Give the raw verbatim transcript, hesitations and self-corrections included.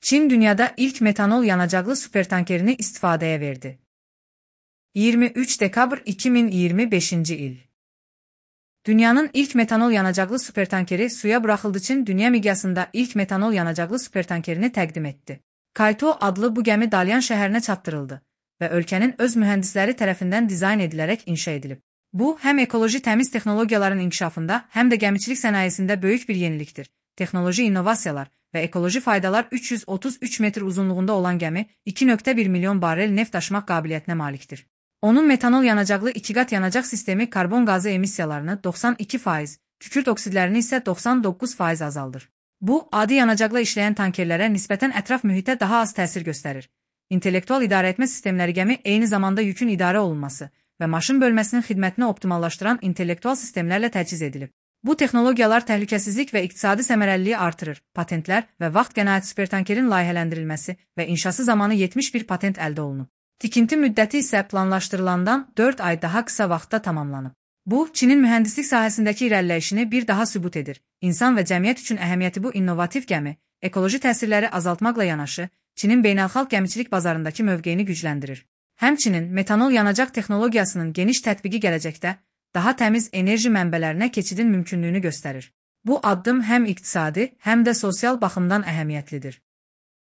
Çin dünyada ilk metanol yanacaqlı supertankerini istifadəyə verdi. iyirmi üç dekabr iki min iyirmi beşinci il. Dünyanın ilk metanol yanacaqlı supertankeri suya buraxıldığı için dünya miqyasında ilk metanol yanacaqlı supertankerini təqdim etdi. Kaito adlı bu gəmi Dalyan şəhərinə çatdırıldı və ölkənin öz mühəndisləri tərəfindən dizayn edilərək inşa edilib. Bu, həm ekoloji təmiz texnologiyaların inkişafında, həm də gəmiçilik sənayesində böyük bir yenilikdir. Texnoloji innovasiyalar və ekoloji faydalar üç yüz otuz üç metr uzunluğunda olan gəmi iki nöqtə bir milyon barel neft daşımaq qabiliyyətinə malikdir. Onun metanol yanacaqlı iki qat yanacaq sistemi karbon qazı emissiyalarını doxsan iki faiz, kükürt oksidlərini isə doxsan doqquz faiz azaldır. Bu, adi yanacaqla işləyən tankerlərə nisbətən ətraf mühitə daha az təsir göstərir. İntellektual idarəetmə sistemləri gəmi eyni zamanda yükün idarə olunması və maşın bölməsinin xidmətini optimallaşdıran intellektual sistemlərlə təchiz edilib. Bu texnologiyalar təhlükəsizlik və iqtisadi səmərəliliyi artırır. Patentlər və vaxt qənaət supertankerin layihələndirilməsi və inşası zamanı yetmiş bir patent əldə olunub. Tikinti müddəti isə planlaşdırılandan dörd ay daha qısa vaxtda tamamlanıb. Bu, Çinin mühəndislik sahəsindəki irəliləyişini bir daha sübut edir. İnsan və cəmiyyət üçün əhəmiyyəti bu innovativ gəmi, ekoloji təsirləri azaltmaqla yanaşı, Çinin beynəlxalq gəmiçilik bazarındakı mövqeyini gücləndirir. Həmçinin metanol yanacaq texnologiyasının geniş tətbiqi gələcəkdə daha təmiz enerji mənbələrinə keçidin mümkünlüyünü göstərir. Bu addım həm iqtisadi, həm də sosial baxımdan əhəmiyyətlidir.